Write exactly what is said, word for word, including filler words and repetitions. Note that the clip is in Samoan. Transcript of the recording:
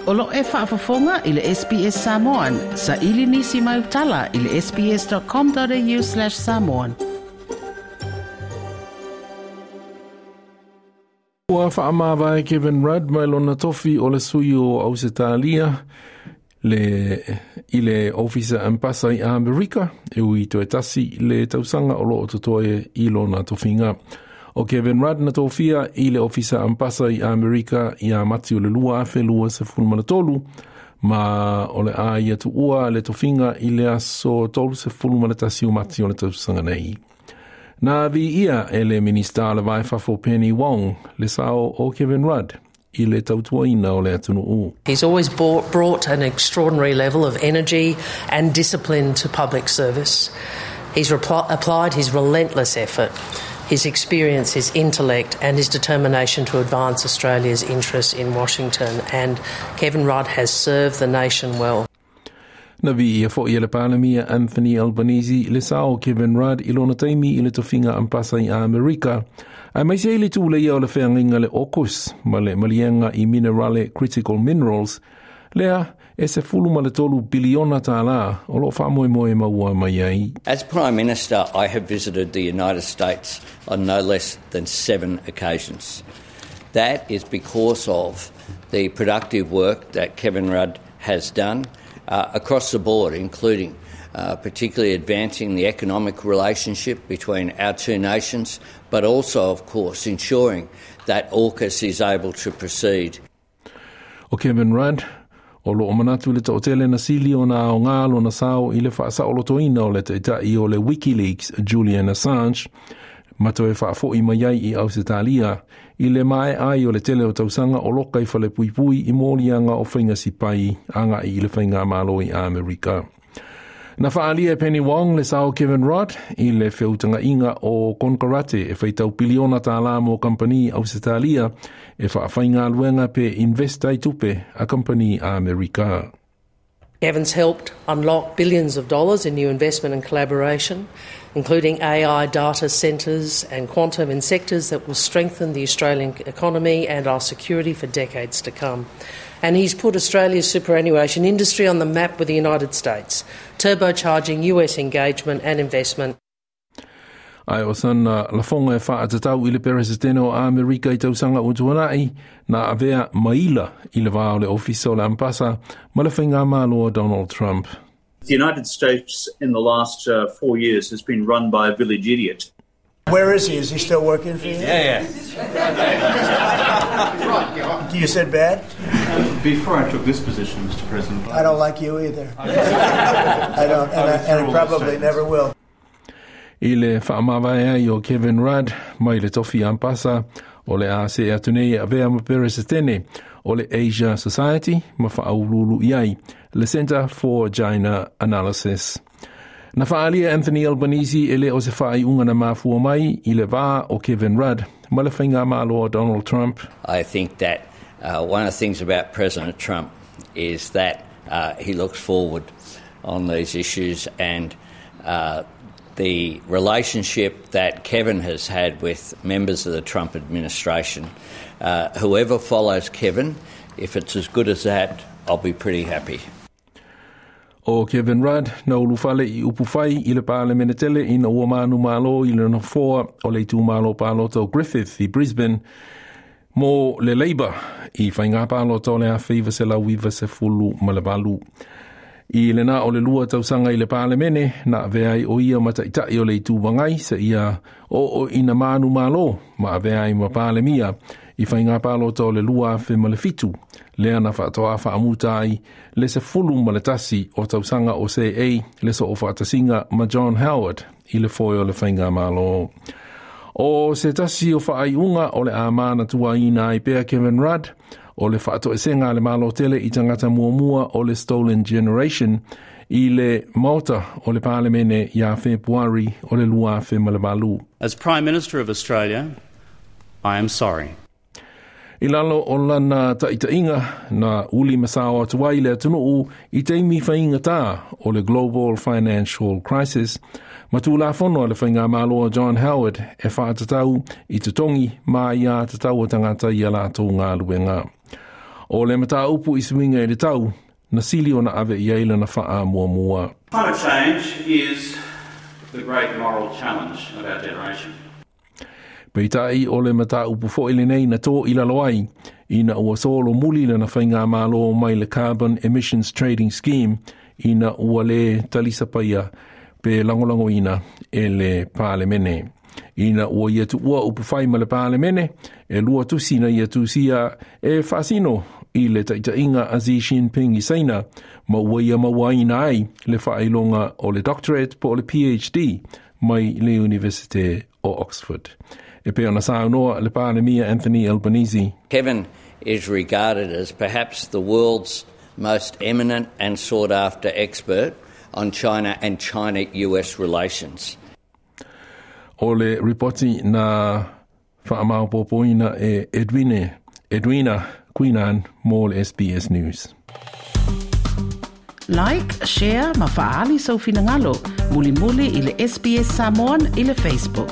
O lo e faafofoga i le S B S Samoan, sa ili nisi mai utala i le S B S dot com dot A U slash samoan. Ua faamavae Kevin Rudd mai lona tofi o le sui o Ausetalia le, i le ofisa ambasa i Amerika e ui toe tasi le tausaga o loo totoe i lona tofiga. O Kevin Rudd na tofia i le ofisa ambasa i Amerika ia Mati o le lua afe lua sefulu ma le tolu ma o le a ia tuua le tofiga i le aso tolu sefulu ma le tasi o Mati o le tausaga nei. Na viia e le Minista le Vai Fafo Penny Wong le sao o Kevin Rudd i le tautuaina o le atunuu. He's always brought, brought an extraordinary level of energy and discipline to public service. He's repl- applied his relentless effort, his experience, his intellect, and his determination to advance Australia's interests in Washington. And Kevin Rudd has served the nation well. Na viia foi e le Palemia Anthony Albanese le sao Kevin Rudd i lona taimi i le tofiga ambasa i Amerika. Aemaise i le tuleia o le feagaiga le AUKUS ma le maliega i minerale critical minerals, lea e se fulu ma le tolu biliona tālā o lo faamoemoe maua mai ai. As Prime Minister, I have visited the United States on no less than seven occasions. That is because of the productive work that Kevin Rudd has done uh, across the board, including uh, particularly advancing the economic relationship between our two nations, but also, of course, ensuring that AUKUS is able to proceed. O Kevin Rudd, o lo o manatu le toatele na sili o na o ngā na sao i le whaasaolotoina o le taitai o le WikiLeaks Julian Assange, ma toe faafoi mai ai i Ausetalia i le mae ai o le tele o tausaga o loka i fale puipui i moliaga o faiga sipai agai i le faigamalo i Amerika. Na faalia e Penny Wong le sao Kevin Rudd i le feutagaiga o konekarate e faitau piliona tālā mo kampani Ausetalia e faafaigaluega pe invest ai tupe a kampani Amerika. Kevin's helped unlock billions of dollars in new investment and collaboration, including A I data centres and quantum in sectors that will strengthen the Australian economy and our security for decades to come. And he's put Australia's superannuation industry on the map with the United States, turbocharging U S engagement and investment. Ae o sana lafoga e faatatau i le peresetene o Amerika i tausaga ua tuanai na avea maila i le vā o le ofisa o le ambasa ma le faigamalo a Donald Trump. The United States in the last uh, four years has been run by a village idiot. Where is he? Is he still working for you? Yeah, yeah. You said bad? Before I took this position, Mister President. I don't like you either. I don't, and I, and I probably never will. I le faamavae ai o Kevin Rudd mai le tofi ambasa o le a se atu nei avea ma peresetene o le Asia Society ma faauluulu i ai le Center for China Analysis. Na faalia Anthony Albanese e le o se faaiuga na mafua mai i le vā o Kevin Rudd ma le faigamalo a Donald Trump. I think that uh, one of the things about President Trump is that uh, he looks forward on these issues, and uh, the relationship that Kevin has had with members of the Trump administration, uh, whoever follows Kevin, if it's as good as that, I'll be pretty happy. O Kevin Rudd na ulufale i upufai i le palemene tele ina ua manumalo i le nofoa o le itumalo palota o Griffith i Brisbane mo le Labour i faiga palota o le afe iva selau iva sefulu ma le valu. I le na o le lua tausaga i le palemene, na avea ai o ia ma taitai o le Itu Agai se ia o o ina manumalo ma avea ai ma palemia i faiga palota o le lua afe ma le fitu, lea na faatoa faamuta ai le sefulu ma le tasi o tausaga o seei le soofaatasiga ma John Howard i le foe o le faigamalo. O se tasi o faaiuga o le a manatuaina ai pea Kevin Rudd, o le faatoesega a le Malo tele i tagata muamua o le Stolen Generation i le Maota o le Palemene ia Fepuari o le lua afe ma le valu. As Prime Minister of Australia, I am sorry. I lalo o lana taitaiga na uli masao atu ai le atunuu i taimi faigatā o le Global Financial Crisis, ma tulafono a le faigamalo a John Howard e faatatau i totogi ma aiā tatau a tagata i a latou galuega. O le mataupu i suiga i le tau, na sili ona ave i ai lana faamuamua. Climate change is the great moral challenge of our generation. Peitai o le mataupu foi lenei na tō i lalo ai, ina ua solomuli lana faigamalo mai le Carbon Emissions Trading Scheme ina ua le talisapaia pe lagolagoina e le Palemene. Ina ua ia tuua upufai ma le Palemene, e lua tusi na ia tusia e faasino i le taitaiga a Xi Jinping i Saina, ma ua ia mauaina ai le faailoga o le doctorate po o le P H D mai le Universite o Oxford. E pei ona saunoa le Palemia Anthony Albanese. Kevin is regarded as perhaps the world's most eminent and sought after expert on China and China U S relations. O le ripoti na whaamaopopoina e Edwine, Edwina Queenan mo le S B S News. Like, share ma faali sau finagalo. Mulimuli i le S B S Samoan i le Facebook.